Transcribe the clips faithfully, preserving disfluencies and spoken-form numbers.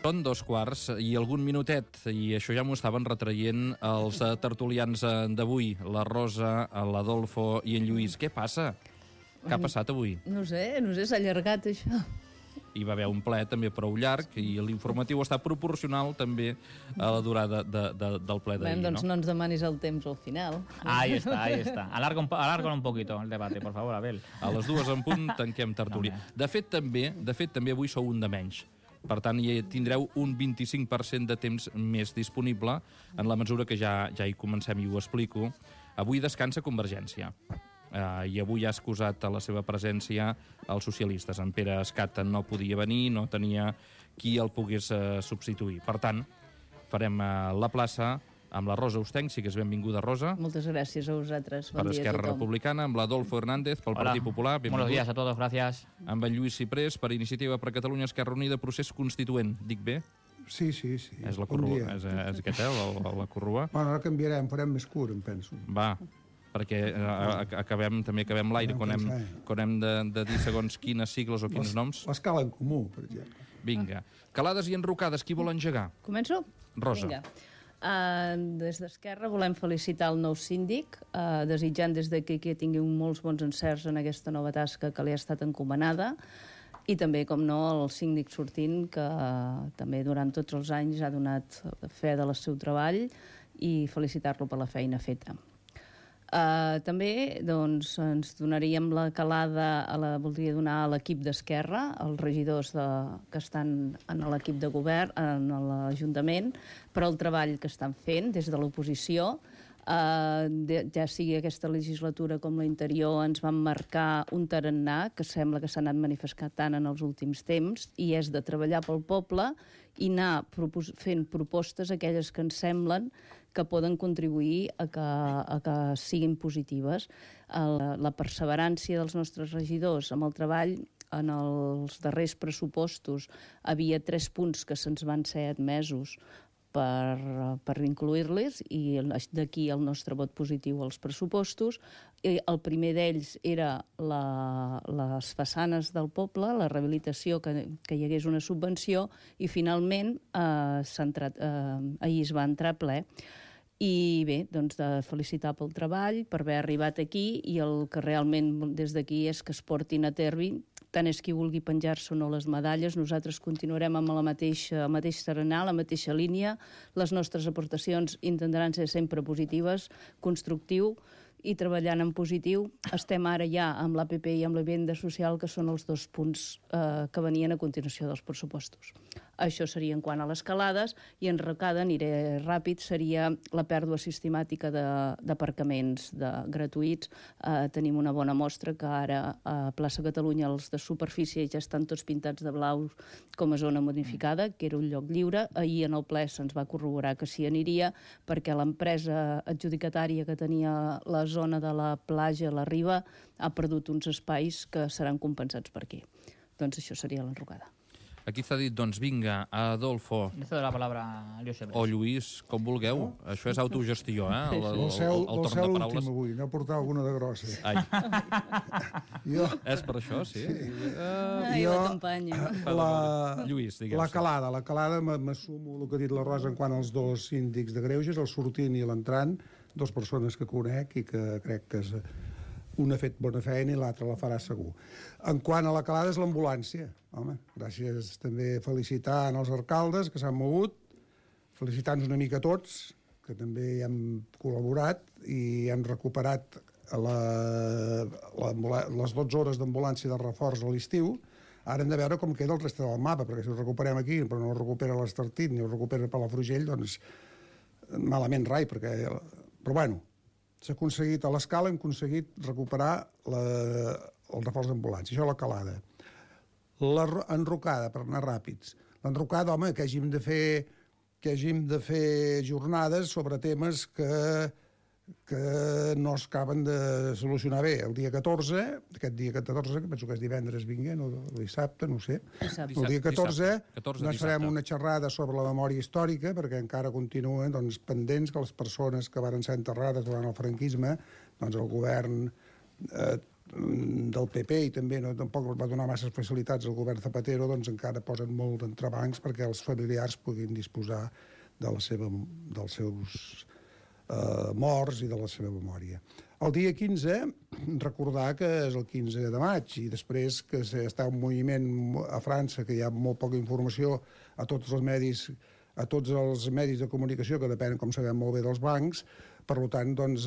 Són dos quarts i algun minutet, i això ja m'ho estaven retraient els tertulians d'avui, la Rosa, l'Adolfo i en Lluís. Què passa? Què ha passat avui? No sé, no sé, s'ha allargat això. Hi va haver un ple també prou llarg i l'informatiu està proporcional també a la durada de, de, del ple d'ahir, doncs no? no ens demanis el temps al final. Ahí está, ahí está. Alarga un, alarga un poquito el debate, por favor, Abel. A les dues en punt tanquem tertúlia. De fet, també, de fet, també avui sou un de menys. Per tant, hi tindreu un vint-i-cinc per cent de temps més disponible en la mesura que ja, ja hi comencem i ho explico. Avui descansa Convergència. Uh, I avui ha excusat a la seva presència els socialistes. En Pere Escat no podia venir, no tenia qui el pogués uh, substituir. Per tant, farem uh, la plaça amb la Rosa Ostenc, sí que és benvinguda, Rosa. Moltes gràcies a vosaltres. Bon per dia Esquerra a tothom. Republicana, amb l'Adolfo Hernández, pel Hola. Partit Popular. Buenos días a todos, gracias. Amb en Lluís Ciprés, per Iniciativa per Catalunya, Esquerra Unida, Procés Constituent. Dic bé? Sí, sí, sí. És la corrua, és, és aquest, eh, la, la corrua. Bueno, ara canviarem, farem més curt, em penso. Va, perquè eh, acabem, també acabem l'aire quan hem, quan hem de, de dir segons quines sigles o quins noms. L'escala en comú, per exemple. Vinga. Calades i enrocades, qui vol engegar? Començo? Rosa. Vinga. Uh, des d'Esquerra volem felicitar el nou síndic, uh, desitjant des d'aquí que tingui molts bons encerts en aquesta nova tasca que li ha estat encomanada, i també, com no, el síndic sortint, que uh, també durant tots els anys ha donat fe del seu treball, i felicitar-lo per la feina feta. Uh, també doncs, ens donaríem la calada, a la, voldria donar a l'equip d'Esquerra, als regidors de, que estan en l'equip de govern, en l'Ajuntament, per al treball que estan fent des de l'oposició. Uh, de, ja sigui aquesta legislatura com l'anterior, ens van marcar un tarannà que sembla que s'ha anat manifestant en els últims temps, i és de treballar pel poble i anar propos fent propostes aquelles que ens semblen que poden contribuir a que, a que siguin positives. La, la perseverància dels nostres regidors amb el treball. En els darrers pressupostos havia tres punts que se'ns van ser admesos per, per incluir-les, i d'aquí el nostre vot positiu als pressupostos. I el primer d'ells era la, les façanes del poble, la rehabilitació, que, que hi hagués una subvenció, i finalment eh, entrat, eh, ahir es va entrar a ple. I bé, doncs de felicitar pel treball, per haver arribat aquí, i el que realment des d'aquí és que es portin a terme, tant és qui vulgui penjar-se o no les medalles, nosaltres continuarem amb la mateixa, el mateix tarannà, la mateixa línia. Les nostres aportacions intentaran ser sempre positives, constructiu i treballant en positiu. Estem ara ja amb l'A P P i amb la vivenda social, que són els dos punts eh, que venien a continuació dels pressupostos. Això seria en quant a les calades, i en recada, aniré ràpid, seria la pèrdua sistemàtica d'aparcaments de, gratuïts. Eh, tenim una bona mostra que ara a Plaça Catalunya els de superfície ja estan tots pintats de blau com a zona modificada, que era un lloc lliure. Ahir en el ple se'ns va corroborar que s'hi aniria, perquè l'empresa adjudicatària que tenia la zona de la platja, la riba, ha perdut uns espais que seran compensats per aquí. Doncs això seria l'enrocada. Aquí està dit, doncs vinga, Adolfo. Le cedo la palabra a Lluís Ciprés. O Lluís, com vulgueu. Això és autogestió, eh? El, el, Vol ser el, el torn de paraules. l'últim avui, no portar alguna de grossa. Ai. Jo, És per això, sí? sí. Uh, Ai, jo, la campanya. la, Lluís, digues. la calada, la calada m'assumo el que ha dit la Rosa en quant als dos síndics de greuges, el sortint i l'entrant, dues persones que conec i que crec que és, un ha fet bona feina i l'altre la farà segur. En quant a la calada és l'ambulància. Home, gràcies també felicitar als alcaldes que s'han mogut, felicitar-nos una mica a tots, que també hi hem col·laborat i hem recuperat la, la, les dotze hores d'ambulància de reforç a l'estiu. Ara hem de veure com queda el reste del mapa, perquè si ho recuperem aquí però no ho recupera l'Estartit ni ho recupera Palafrugell, doncs malament rai, perquè... Però bueno, s'ha aconseguit, a l'escala hem aconseguit recuperar la, el reforç d'ambulància. Això a la calada. L'enrocada, per anar ràpids. L'enrocada, home, que hàgim de fer que hàgim de fer jornades sobre temes que, que no es acaben de solucionar bé. El dia catorze, aquest dia catorze, que penso que és divendres vinguent, o dissabte, no ho sé. Dissabte. El dia catorze, catorze doncs farem una xerrada sobre la memòria històrica, perquè encara continuen doncs, pendents que les persones que varen ser enterrades durant el franquisme, doncs el govern eh, del P P, i també no, tampoc va donar massa facilitats al govern Zapatero, doncs encara posen molt d'entrebancs perquè els familiars puguin disposar de la seva, dels seus eh, morts i de la seva memòria. El dia quinze, recordar que és el quinze de maig, i després que està un moviment a França, que hi ha molt poca informació a tots els medis, a tots els medis de comunicació, que depenen, com sabem molt bé, dels bancs. Per tant, doncs,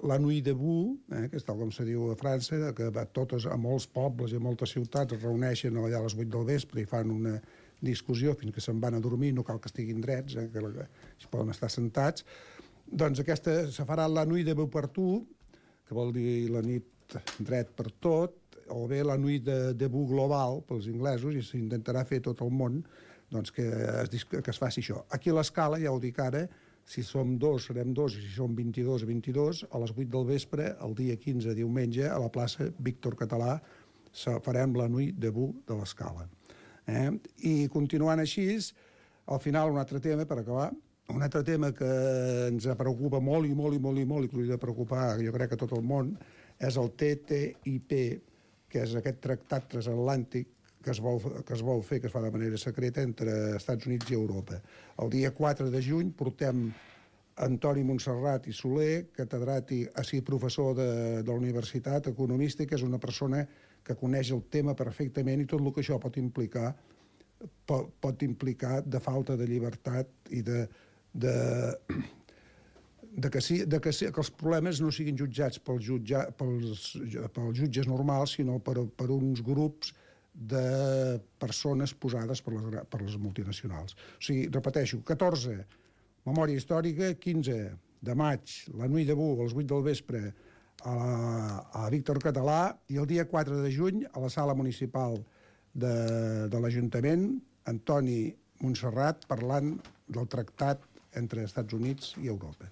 la Nuit debout, eh, que és tal com se diu a França, que a, totes, a molts pobles i a moltes ciutats es reuneixen allà a les vuit del vespre i fan una discussió fins que se'n van a dormir, no cal que estiguin drets, eh, que, que poden estar sentats. Doncs aquesta se farà la Nuit debout partout, que vol dir la nit dret per tot, o bé la Nuit de debout global pels inglesos, i s'intentarà fer tot el món, doncs que es, que es faci això. Aquí a l'escala, ja ho dic ara, si som dos, serem dos, i si som vint-i-dos, vint-i-dos, a les vuit del vespre, el dia quinze, diumenge, a la plaça Víctor Català, farem la Nuit debout de l'escala. Eh? I continuant així, al final un altre tema, per acabar, un altre tema que ens preocupa molt i molt i molt i molt i que hauria de preocupar, jo crec, a tot el món, és el T T I P, que és aquest tractat transatlàntic que es vol, que es vol fer, que es fa de manera secreta, entre Estats Units i Europa. El dia quatre de juny portem Antoni Montserrat i Soler, catedràtic, així professor de, de la universitat, economista, que és una persona que coneix el tema perfectament i tot el que això pot implicar, pot, pot implicar de falta de llibertat i de De, de, que, sí, de que, sí, que els problemes no siguin jutjats pels, jutja, pels, pels jutges normals, sinó per, per uns grups de persones posades per les, per les multinacionals. O sigui, repeteixo, catorze, memòria històrica, quinze de maig, la Nuit debout, a les vuit del vespre, a, a Víctor Català, i el dia quatre de juny, a la sala municipal de, de l'Ajuntament, Antoni Montserrat parlant del tractat entre Estats Units i Europa.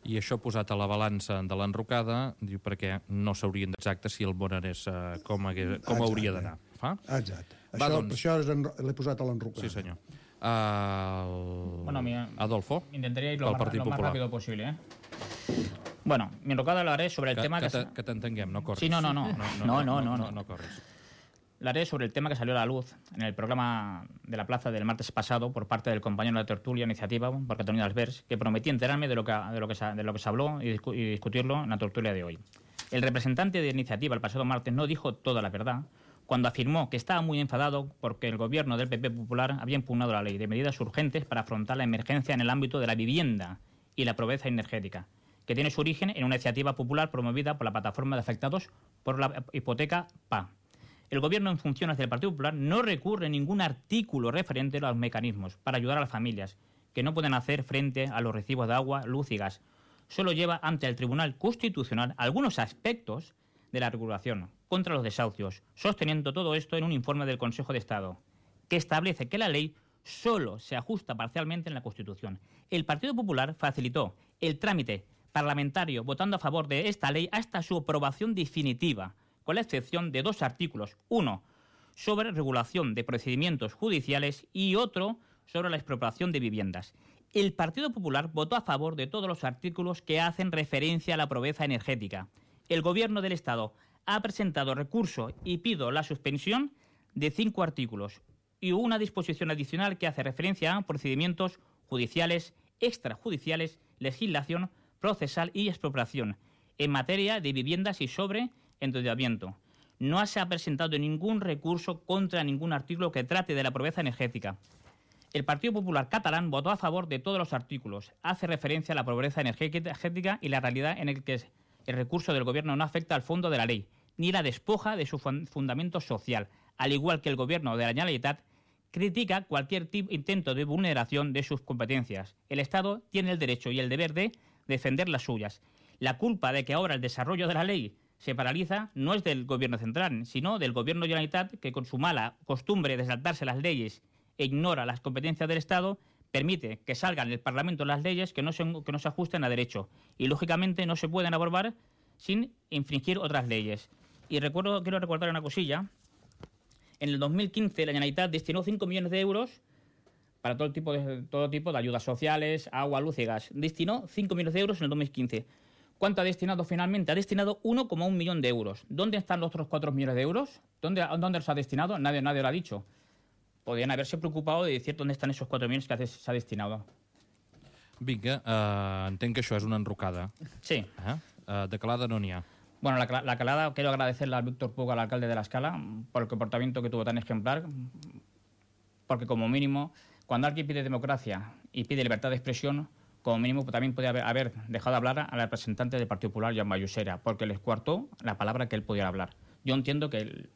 I això posat a la balança de l'enrocada, diu perquè no s'haurien d'exacte si el món anés uh, com, hagués, com hauria d'anar. Fa? Exacte. Va, això doncs... això l'he posat a l'enrocada. Sí, senyor. Uh, bueno, mi, Adolfo, intentaría ir lo, más, lo más rápido posible, ¿eh? Bueno, mi enrocada lo haré sobre el que, tema que... Que, que t'entenguem, no corris. Sí, no, no, no. No, no, no, no, no, no, no, no corris. La haré sobre el tema que salió a la luz en el programa de la Plaza del martes pasado por parte del compañero de tertulia Iniciativa, por Cataluña Albers, que prometí enterarme de lo que, de lo que, se, de lo que se habló y, discu y discutirlo en la tertulia de hoy. El representante de Iniciativa el pasado martes no dijo toda la verdad cuando afirmó que estaba muy enfadado porque el gobierno del P P Popular había impugnado la ley de medidas urgentes para afrontar la emergencia en el ámbito de la vivienda y la pobreza energética, que tiene su origen en una iniciativa popular promovida por la plataforma de afectados por la hipoteca P A. El gobierno en funciones del Partido Popular no recurre a ningún artículo referente a los mecanismos para ayudar a las familias que no pueden hacer frente a los recibos de agua, luz y gas. Solo lleva ante el Tribunal Constitucional algunos aspectos de la regulación contra los desahucios, sosteniendo todo esto en un informe del Consejo de Estado, que establece que la ley solo se ajusta parcialmente en la Constitución. El Partido Popular facilitó el trámite parlamentario votando a favor de esta ley hasta su aprobación definitiva, con la excepción de dos artículos, uno sobre regulación de procedimientos judiciales y otro sobre la expropiación de viviendas. El Partido Popular votó a favor de todos los artículos que hacen referencia a la pobreza energética. El Gobierno del Estado ha presentado recurso y pido la suspensión de cinco artículos y una disposición adicional que hace referencia a procedimientos judiciales, extrajudiciales, legislación procesal y expropiación en materia de viviendas y sobre endeudamiento. No se ha presentado ningún recurso contra ningún artículo que trate de la pobreza energética. El Partido Popular catalán votó a favor de todos los artículos. Hace referencia a la pobreza energética y la realidad en la que el recurso del Gobierno no afecta al fondo de la ley, ni la despoja de su fundamento social, al igual que el Gobierno de la Generalitat critica cualquier tipo, intento de vulneración de sus competencias. El Estado tiene el derecho y el deber de defender las suyas. La culpa de que ahora el desarrollo de la ley se paraliza no es del Gobierno central, sino del Gobierno de la Generalitat, que con su mala costumbre de saltarse las leyes e ignora las competencias del Estado, permite que salgan del Parlamento las leyes que no se, que no se ajusten a derecho. Y, lógicamente, no se pueden aprobar sin infringir otras leyes. Y recuerdo, quiero recordar una cosilla. En el dos mil quince la Generalitat destinó cinco millones de euros para todo tipo de, todo tipo de ayudas sociales, agua, luz y gas. Destinó cinco millones de euros en el dos mil quince. ¿Cuánto ha destinado finalmente? Ha destinado uno coma uno millón de euros. ¿Dónde están los otros cuatro millones de euros? ¿Dónde, ¿Dónde los ha destinado? Nadie, nadie lo ha dicho. Podrían haberse preocupado de decir dónde están esos cuatro millones que se ha destinado. Vinga, uh, entenc que això és una enrocada. Sí. Uh, uh, de calada no n'hi ha. Bueno, la, la calada, quiero agradecerle al Víctor Puga, al alcalde de La Escala, por el comportamiento que tuvo tan ejemplar, porque como mínimo, cuando alguien pide democracia y pide libertad de expresión, como mínimo también podía haber, haber dejado de hablar al representante del Partido Popular, Joan Vallusera, porque les coartó la palabra que él podía hablar. Yo entiendo que el,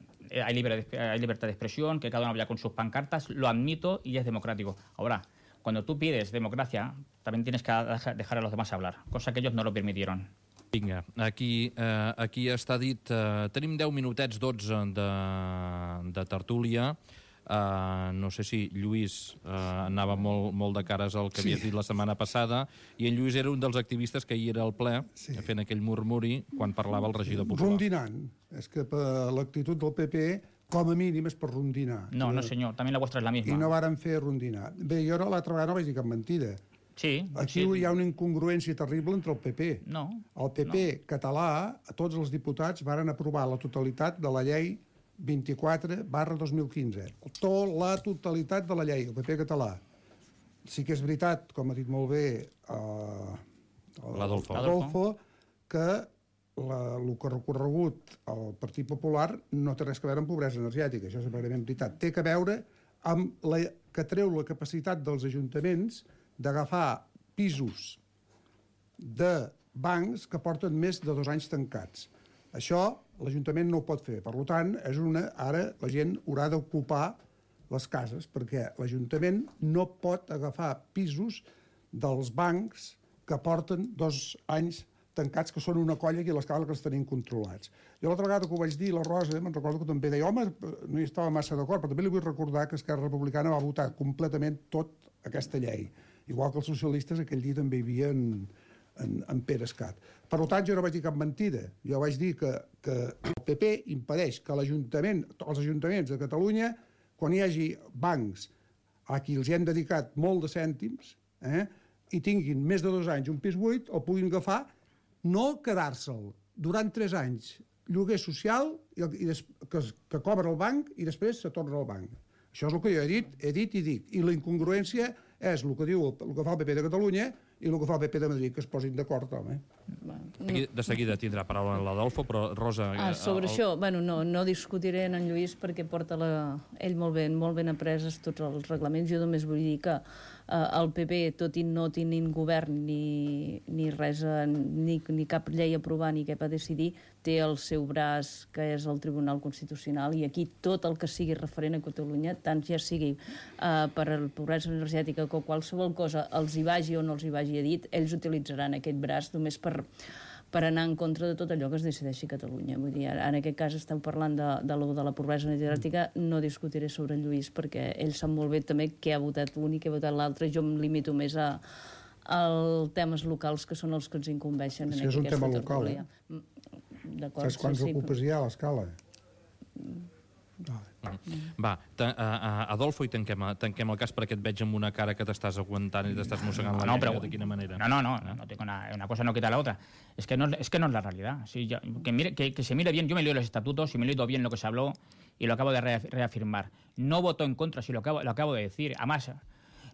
hay, libre, hay libertad de expresión, que cada uno vaya con sus pancartas, lo admito y es democrático. Ahora, cuando tú pides democracia, también tienes que dejar a los demás hablar, cosa que ellos no lo permitieron. Vinga, aquí, eh, aquí està dit... Eh, tenim deu minutets, dotze de, de tertúlia. Uh, no sé si Lluís uh, anava molt, molt de cares al que sí. havies dit la setmana passada, i en Lluís era un dels activistes que ahir era al ple, sí. fent aquell murmuri quan parlava el regidor popular. Rondinant. És que per l'actitud del P P, com a mínim és per rondinar. No, no senyor, també la vostra és la misma. I no varen fer rondinar. Bé, jo l'altra vegada no vaig dir cap mentida. Sí. Aquí sí. hi ha una incongruència terrible entre el P P. No. El P P no. català, a tots els diputats, varen aprovar la totalitat de la llei vint-i-quatre barra dos mil quinze. Tot, la totalitat de la llei, el P P català. Sí que és veritat, com ha dit molt bé uh, l'Adolfo, que la, el que ha recorregut el Partit Popular no té res a veure amb pobresa energètica, això és verament veritat. Té a veure amb la, que treu la capacitat dels ajuntaments d'agafar pisos de bancs que porten més de dos anys tancats. Això l'Ajuntament no ho pot fer. Per tant, és una, ara la gent haurà d'ocupar les cases, perquè l'Ajuntament no pot agafar pisos dels bancs que porten dos anys tancats, que són una colla aquí a l'escala que els tenim controlats. Jo l'altra vegada que ho vaig dir, la Rosa, me'n recordo que també deia, home, no hi estava massa d'acord, però també li vull recordar que Esquerra Republicana va votar completament tot aquesta llei. Igual que els socialistes aquell dia també hi havia en, en, en Pere Escat. Per tant, jo no vaig dir cap mentida. Jo vaig dir que, que el P P impedeix que l'Ajuntament, els ajuntaments de Catalunya, quan hi hagi bancs a qui els hi hem dedicat molt de cèntims, eh, i tinguin més de dos anys un pis buit, el puguin agafar, no quedar-se'l durant tres anys lloguer social i, i des, que, que cobra el banc i després se torna al banc. Això és el que jo he dit, he dit i dic. I la incongruència és el que diu el, el que fa el P P de Catalunya i el que fa el P P de Madrid, que es posin d'acord, home. Aquí de seguida tindrà paraula l'Adolfo, però Rosa... Ah, sobre el... això, bueno, no, no discutiré en Lluís perquè porta la... ell molt ben, molt ben apreses tots els reglaments. Jo només vull dir que eh, el P P, tot i no tenint govern ni, ni res, ni, ni cap llei a aprovar ni cap a decidir, té el seu braç, que és el Tribunal Constitucional, i aquí tot el que sigui referent a Catalunya, tant ja sigui eh, per a la pobresa energètica o qualsevol cosa, els hi vagi o no els hi vagi a dit, ells utilitzaran aquest braç només per, per anar en contra de tot allò que es decideixi a Catalunya. Vull dir, en aquest cas esteu parlant de, de, lo, de la pobresa energètica, no discutiré sobre el Lluís, perquè ell sap molt bé també què ha votat un i què ha votat l'altre. Jo em limito més a, als temes locals, que són els que ens incumbeixen. Sí, és un tema local, eh? D'acord, saps quants sí, ocupes hi ha a l'escala? Va, ta, uh, uh, Adolfo, i tanquem, tanquem el cas, perquè et veig amb una cara que t'estàs aguantant i t'estàs mossegant no, la no, llengua. pero, ¿De quina manera? No, no, no, no, no tengo una, una cosa no quita la otra. Es que no es, que no es la realidad. Sí, ya, que, mire, que, que se mire bien, yo me leo los estatutos y me he leído bien lo que se habló y lo acabo de reafirmar. No voto en contra, si lo acabo, lo acabo de decir. Además,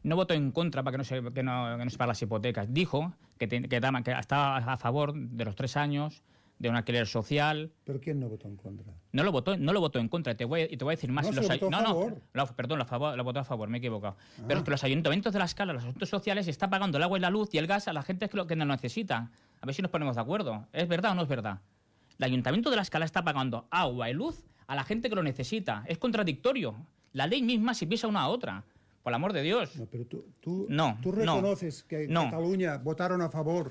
no votó en contra para que no se, que no, que no se pague las hipotecas. Dijo que, te, que, que estaba a favor de los tres años, de un alquiler social. ¿Pero quién no votó en contra? No lo votó, no lo votó en contra. Te voy, y te voy a decir más. No, los se votó a no, favor. No, lo, perdón, lo, favor, lo votó a favor, me he equivocado. Ah. Pero es que los ayuntamientos de La Escala, los asuntos sociales, están pagando el agua y la luz y el gas a la gente que, lo, que no lo necesita. A ver si nos ponemos de acuerdo. ¿Es verdad o no es verdad? El ayuntamiento de La Escala está pagando agua y luz a la gente que lo necesita. Es contradictorio. La ley misma se pisa una a otra. Por el amor de Dios. No, pero tú, tú, no, tú reconoces no, que en no. Cataluña votaron a favor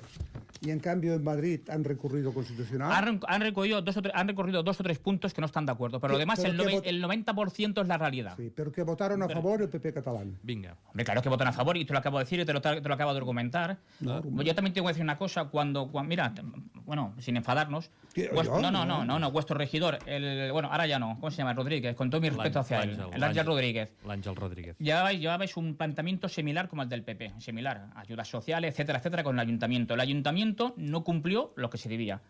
y en cambio en Madrid han recurrido constitucional. Han, han, recorrido dos o tres, han recorrido dos o tres puntos que no están de acuerdo, pero lo demás, pero el, el noventa por ciento es la realidad. Sí, pero que votaron a pero, favor el P P catalán. Vinga. Hombre, claro que votan a favor y te lo acabo de decir y te lo, te lo acabo de argumentar. No, yo también tengo que decir una cosa, cuando, cuando mira, bueno, sin enfadarnos, vuestro, no, no, no, no, no, vuestro regidor, el, bueno, ahora ya no, ¿cómo se llama? Rodríguez, con todo mi respeto hacia él, el Ángel Rodríguez. L'Àngel Rodríguez. Llevabais, llevabais un planteamiento similar como el del P P, similar, ayudas sociales, etcétera, etcétera, con el ayuntamiento. El ayuntamiento ayuntamiento no cumplió lo que se debía.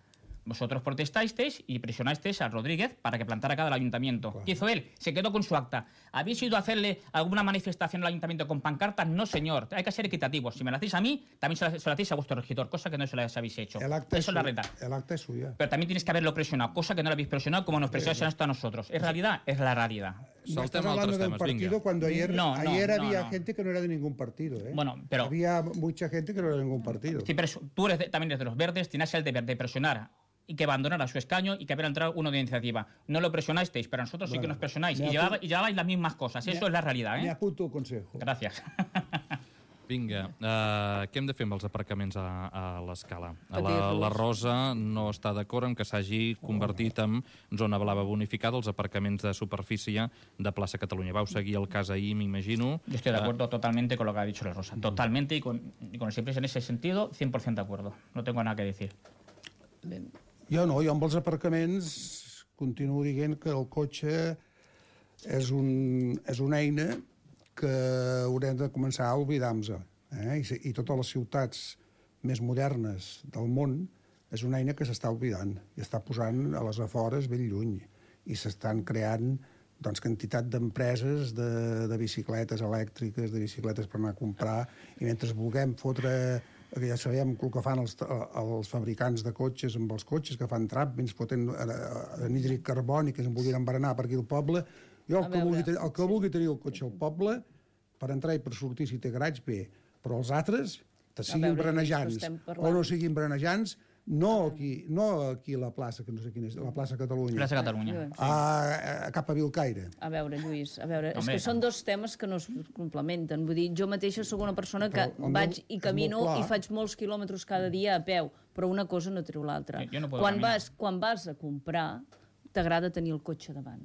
Vosotros protestasteis y presionasteis a Rodríguez para que plantara cara al ayuntamiento. Claro. ¿Qué hizo él? Se quedó con su acta. ¿Habéis ido a hacerle alguna manifestación al ayuntamiento con pancartas? No, señor. Hay que ser equitativos. Si me lo hacéis a mí, también se lo, se lo hacéis a vuestro regidor, cosa que no se lo habéis hecho. El acta Eso es la realidad. El acta es suya. Pero también tienes que haberlo presionado, cosa que no lo habéis presionado como nos presionáis esto a nosotros. ¿Es realidad? Es la realidad. No estás hablando de un partido cuando ayer, no, no, ayer no, había no. gente que no era de ningún partido. ¿eh? Bueno, pero... Había mucha gente que no era de ningún partido. Sí, pero tú eres de, también eres de los verdes, tienes el deber de presionar y que abandonara su escaño y que hubiera entrado uno de iniciativa. No lo presionasteis, pero nosotros bueno, sí que nos presionáis. Y llevabais, y llevabais las mismas cosas. Eso es la realidad. ¿eh? Me apunto el consejo. Gràcies. Vinga, uh, què hem de fer amb els aparcaments a, a l'Escala? La, la Rosa no està d'acord amb que s'hagi convertit en zona blava bonificada els aparcaments de superfície de plaça Catalunya. Vau seguir el cas ahir, m'imagino. Yo estoy de acuerdo uh, totalmente con lo que ha dicho la Rosa. Totalmente, y con, y con el siempre en ese sentido, cien por ciento de acuerdo. No tengo nada que decir. Ben. Jo no, jo amb els aparcaments continuo dient que el cotxe és, un, és una eina que haurem de començar a oblidar-nos. Eh? I, I totes les ciutats més modernes del món és una eina que s'està oblidant i està posant a les afores ben lluny. I s'estan creant doncs, quantitat d'empreses de, de bicicletes elèctriques, de bicicletes per anar a comprar, i mentre vulguem fotre... que ja sabem el que fan els, els fabricants de cotxes amb els cotxes, que fan trap, ens foten anhídrid carboni, que es vulguin embarenar per aquí al poble. Jo el que, vulgui, el que vulgui tenir el cotxe al poble, per entrar i per sortir, si té garage, bé. Però els altres, que siguin brenejants o no siguin brenejants, no aquí, no aquí a la plaça, que no sé quina és, la plaça Catalunya. Plaça Catalunya. A, a, cap a Vilcaire. A veure, Lluís, a veure, és que són dos temes que no es complementen. Vull dir, jo mateixa sóc una persona que vaig i camino i faig molts quilòmetres cada dia a peu, però una cosa no treu l'altra. Quan vas, quan vas a comprar, t'agrada tenir el cotxe davant.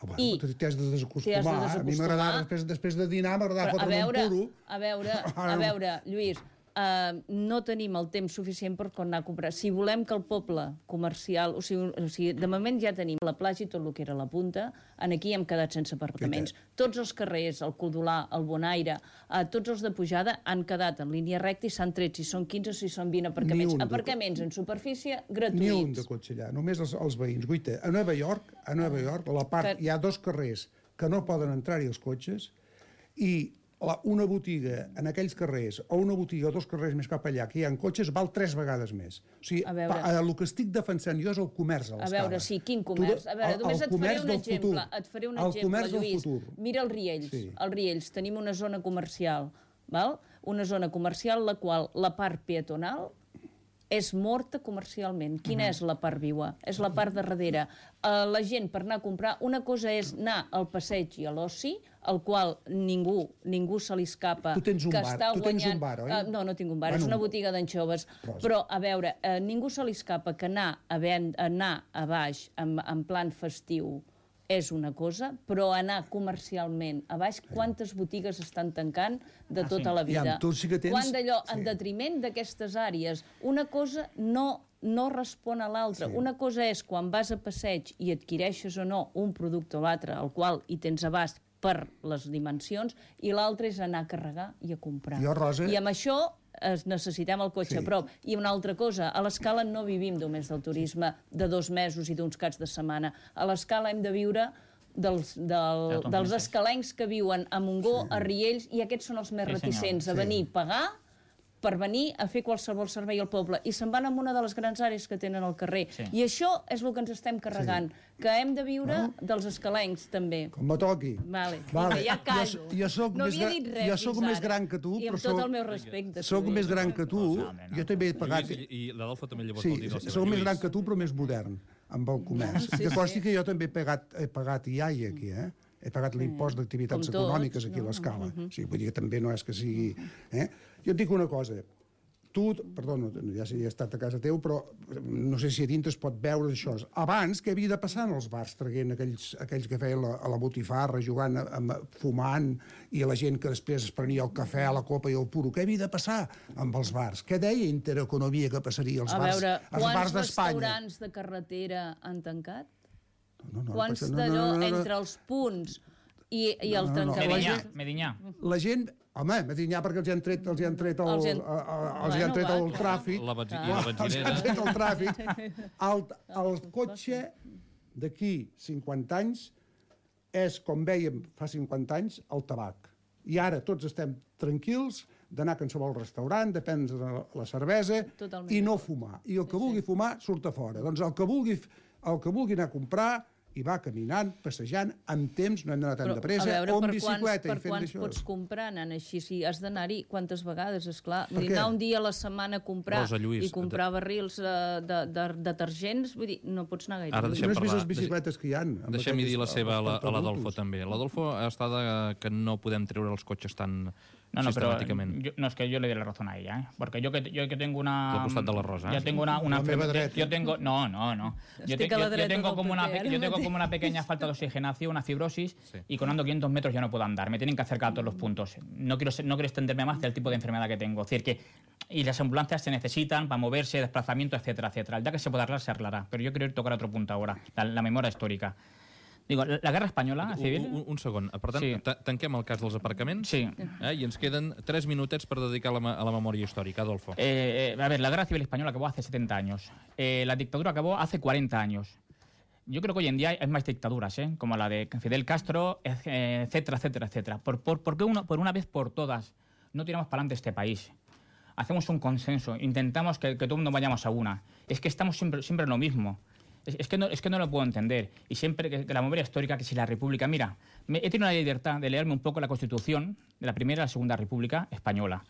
Oh, I t'has de desacostumar. A mi m'agrada, després, després de dinar, m'agrada fotre un puro. A veure, a veure, Lluís, Uh, no tenim el temps suficient per anar a comprar. Si volem que el poble comercial... O sigui, o sigui, de moment ja tenim la platja i tot el que era la punta. En aquí hem quedat sense aparcaments. Tots els carrers, el Codolà, el Bonaire, uh, tots els de pujada han quedat en línia recta i s'han tret, si són quinze o si són vint aparcaments. Aparcaments en superfície gratuïts. Ni un de cotxe allà, només els, els veïns. Guaita, a Nova York, a Nova York, a la part, que... hi ha dos carrers que no poden entrar-hi els cotxes i La, una botiga en aquells carrers o una botiga dos carrers més cap allà que hi ha cotxes val tres vegades més. O sigui, pa, el que estic defensant jo és el comerç a l'Escala. A veure, sí, quin comerç? A veure, només et faré un exemple. Et faré un exemple, Lluís. Mira els Riells. Sí. Els Riells. Tenim una zona comercial, val? Una zona comercial la qual la part peatonal és morta comercialment. Quina uh-huh. és la part viua? És la part de darrere. Uh, la gent, per anar a comprar, una cosa és anar al passeig i a l'oci, al qual ningú, ningú se li escapa tu tens un que bar. està tu guanyant... tens un bar, oi? Uh, no, no tinc un bar, bueno, és una botiga d'anxoves. Però, però, a veure, uh, ningú se li escapa que anar a, ven... anar a baix en, en plan festiu és una cosa, però anar comercialment a baix, quantes botigues estan tancant de tota la vida? Ja, tu sí que tens... Quan d'allò, en detriment d'aquestes àrees, una cosa no, no respon a l'altra. Sí. Una cosa és quan vas a passeig i adquireixes o no un producte o l'altre, al qual hi tens abast per les dimensions, i l'altre és anar a carregar i a comprar. Jo, Rosa... I amb això es necessitem el cotxe sí. a prop. I una altra cosa, a l'Escala no vivim només del turisme de dos mesos i d'uns caps de setmana. A l'Escala hem de viure dels, del, dels escalencs que viuen a Montgó, sí. a Riells, i aquests són els més sí, reticents senyor. a venir a pagar per venir a fer qualsevol servei al poble. I se'n van a una de les grans àrees que tenen al carrer. Sí. I això és el que ens estem carregant, sí. que hem de viure no? dels escalencs, també. Com me toqui. Vale. vale. Ja callo. Jo, jo soc no més, havia dit res jo soc més gran que tu, I amb però tot el meu respecte. Soc més gran que tu, jo també he pagat... I, i l'Adolfo també llavors sí, vol dir... Sí, soc més gran que tu, però més modern, amb el comerç. Sí, que consti sí. que jo també he pagat, he pagat I A I aquí, eh? He pagat l'impost d'activitats econòmiques aquí a l'Escala. No? O sigui, vull dir que també no és que sigui... Eh? Jo et dic una cosa, tu, perdó, ja sé, he estat a casa teu, però no sé si a dintre es pot veure això. Abans, què havia de passar en els bars, traient aquells, aquells que feien la, a la botifarra, jugant, amb, fumant, i la gent que després es prenia el cafè, la copa i el puro? Què havia de passar amb els bars? Què deia Intereconomia que passaria als bars, veure, als bars d'Espanya? Quants restaurants de carretera han tancat? No, no, Quants no, d'allò no, no, no, no. entre els punts i, i el no, no, no. Medinyà, Medinyà. La gent Home, Medinyà perquè els hi han tret, els hi han tret el, Els hi han- el, els hi Bueno, han tret va, el clar. tràfic. La benzi- Clar. i la Els hi han benzinera. tret el tràfic. El, el cotxe d'aquí cinquanta anys és, com vèiem fa cinquanta anys, el tabac. I ara tots estem tranquils d'anar a qualsevol restaurant, de prendre la cervesa Totalment. i no fumar. I el que vulgui fumar surt a fora. Doncs el que vulgui, el que vulgui anar a comprar i va caminant, passejant, amb temps, no hem d'anar tan Però, de pressa, a veure, o amb per quants, bicicleta per i fent quants això. pots comprar anant així? Si has d'anar-hi quantes vegades, esclar. Per Vull dir, què? anar un dia a la setmana a comprar Rosa Lluís, i comprar barrils eh, de, de, de detergents, vull dir, no pots anar gaire. Ara lluny. deixem No has vist parlar- les bicicletes que hi ha? amb Deixem-hi dir la aquells- seva a la- els a l'Adolfo portaadultos? també. L'Adolfo està de que no podem treure els cotxes tan No, no, pero sistemàticament. yo- no, es que yo le doy la razón a ella, ¿eh? Porque yo que, yo que tengo una... Al costat de la Rosa, Yo eh? tengo una... una La meva yo- dreta. yo tengo... No, no, no. Yo, Estic te- a la yo- yo dreta tengo del como una, P P, pe- ara yo tengo mateix. como una pequeña falta de oxigenación, una fibrosis, Sí. y con ando quinientos metros ya no puedo andar. Me tienen que acercar a todos los puntos. No quiero, ser- no quiero extenderme más del tipo de enfermedad que tengo. Es decir, que... Y las ambulancias se necesitan para moverse, desplazamiento, etcétera, etcétera. El día que se pueda arreglar, se arreglará. Pero yo quiero ir a tocar otro punto ahora, la, la memoria histórica. Digo, la, la guerra española civil... Un, un, un segon. Per tant, Sí. ta- tanquem el cas dels aparcaments. Sí. Eh? I ens queden tres minutets per dedicar a la, me- a la memòria històrica. Adolfo. Eh, eh, a ver, la guerra civil española acabó hace setenta años. Eh, la dictadura acabó hace cuarenta años. Yo creo que hoy en día hay más dictaduras, ¿eh? Como la de Fidel Castro, eh, etcétera, etcétera, etcétera. ¿Por, por, por qué uno, por una vez por todas no tiramos para adelante este país? Hacemos un consenso, intentamos que, que todo el mundo vayamos a una. Es que estamos siempre, siempre en lo mismo. Es, es, que no, es que no lo puedo entender. Y siempre que, que la memoria histórica, que si la República... Mira, me, he tenido la libertad de leerme un poco la Constitución de la Primera y la Segunda República Española.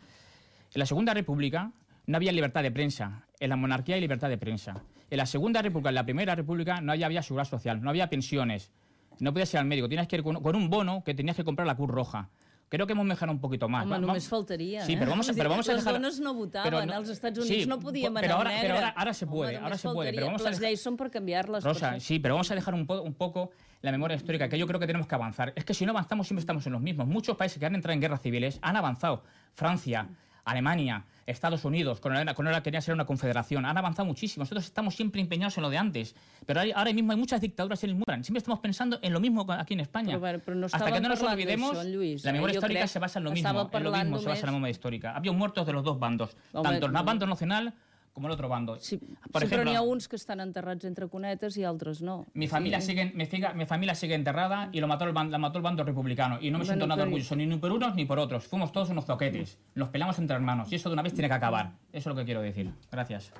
En la Segunda República no había libertad de prensa. En la monarquía hay libertad de prensa. En la Segunda República, en la Primera República, no había, había seguridad social, no había pensiones. No podías ir al médico, tenías que ir con, con un bono que tenías que comprar la Cruz Roja. Creo que hemos mejorado un poquito más. Home, Va- només va- faltaria, Sí, eh? pero vamos, a- Vull dir, pero vamos a les dejar... dones no votaven, pero als Estats sí, Units no podíem pero anar ahora, negre. Pero ahora, ahora se puede, Home, ahora només se puede. Pero faltaria. vamos a Les dejar... lleis són per canviar-les. Rosa, per això. sí, pero vamos a dejar un, po- un poco la memoria histórica, que yo creo que tenemos que avanzar. Es que si no avanzamos siempre estamos en los mismos. Muchos países que han entrado en guerras civiles han avanzado. Francia, Alemania, Estados Unidos, con ahora, con ahora quería ser una confederación, han avanzado muchísimo. Nosotros estamos siempre empeñados en lo de antes. Pero hay- ahora mismo hay muchas dictaduras en el mundo. Siempre estamos pensando en lo mismo aquí en España. Però, bueno, però no Hasta que estàvem no nos parlant olvidemos, d'això, Lluís, la memoria eh? Jo histórica crec se basa en lo que mismo. estava En lo parlant mismo se basa la només- memoria histórica. Había muertos de los dos bandos, Home, tanto el no. bando nacional como el otro bando. Sí, Por sí, però ejemplo, n'hi ha uns que estan enterrats entre conetes i altres no. Mi familia, Sí. sigue, mi, figa- mi familia sigue enterrada y lo mató el, ban- la mató el bando republicano. Y no me Bueno, siento nada pero- orgulloso ni por unos ni por otros. Fuimos todos unos zoquetes. Nos pelamos entre hermanos. Y eso de una vez tiene que acabar. Eso es lo que quiero decir. Gracias.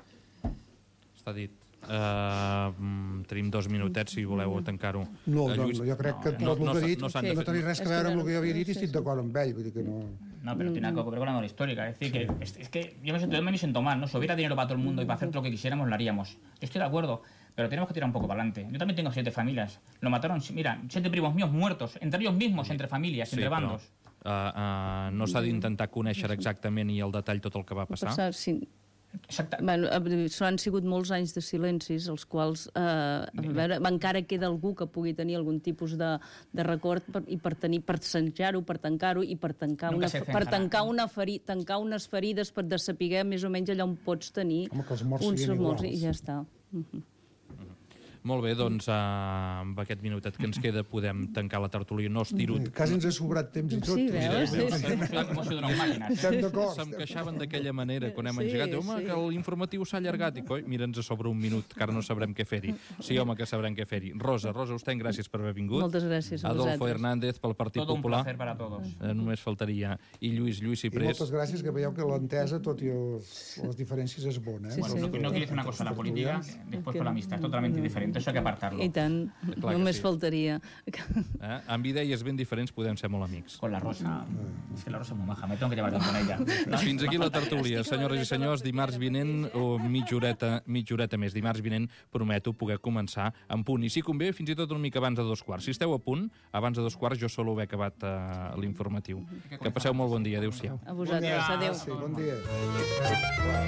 Està dit. Uh, mm, tenim dos minutets, si voleu tancar-ho. No, Eh, no, Lluís, no, jo crec que no, tot el no que ha s'ha- dit no no, s'han de no fer- tenia res a És veure que amb el que jo havia sí, dit i sí, estic sí. d'acord amb ell. Vull dir que no... No, pero tiene algo que ver con la memoria histórica. Es decir, que, es, es que yo me, siento, yo me siento mal, ¿no? Si hubiera dinero para todo el mundo y para hacer lo que quisiéramos, lo haríamos. Yo estoy de acuerdo, pero tenemos que tirar un poco para adelante. Yo también tengo siete familias. Lo mataron, mira, siete primos míos muertos, entre ellos mismos, entre familias, Sí, entre però, bandos. uh, uh, no s'ha d'intentar conèixer exactament i el detall tot el que va passar. Passar, sí. Exacte. Bueno, eh, han sigut molts anys de silencis, els quals eh, a veure, encara queda algú que pugui tenir algun tipus de, de record per, i per tenir per senjar-ho, per tancar-ho i per tancar, Nunca una, se per cenjarà. tancar, una feri, tancar unes ferides per de saber més o menys allà on pots tenir Home, que els morts uns siguin morts iguals. i ja està. Uh-huh. Molt bé, doncs uh, amb aquest minutet que ens queda podem tancar la tertúlia. No estiro... Quasi ens ha sobrat temps i tot. Sí, veus? Sí, sí. Hemos sido unas máquinas. Estem d'acord. Se'm queixaven d'aquella manera quan hem Sí, engegat. Home, sí. que l'informatiu s'ha allargat. I coi, mira'ns a sobre un minut, que ara no sabrem què fer-hi. Sí, home, que sabrem què fer-hi. Rosa, Rosa Ostenc, gràcies per haver vingut. Moltes gràcies a Adolfo vosaltres. Hernández pel Partit Todo un Popular. placer para todos. Eh, només faltaria. I Lluís, Lluís I Ciprés. moltes gràcies, que veieu que l'entesa, tot i els, les diferències, és bona. Eh? Sí, Bueno, sí. no, no quiero decir una cosa, la política, después con la amistad, es totalmente diferente. Eso hay que apartarlo. I tant, Clar que només sí. faltaria. Eh? Amb idees ben diferents podem ser molt amics. Con la Rosa. Es que la Rosa es muy maja, me tengo que llevar bien con ella. Fins aquí la tertúlia. Senyores i senyors, dimarts vinent o mitja horeta, mitja horeta més. Dimarts vinent prometo poder començar en punt. I si convé, fins i tot una mica abans de dos quarts. Si esteu a punt, abans de dos quarts jo solo haver acabat uh, l'informatiu. Que passeu molt bon dia. Adéu-siau. A vosaltres, adéu. Sí, bon dia.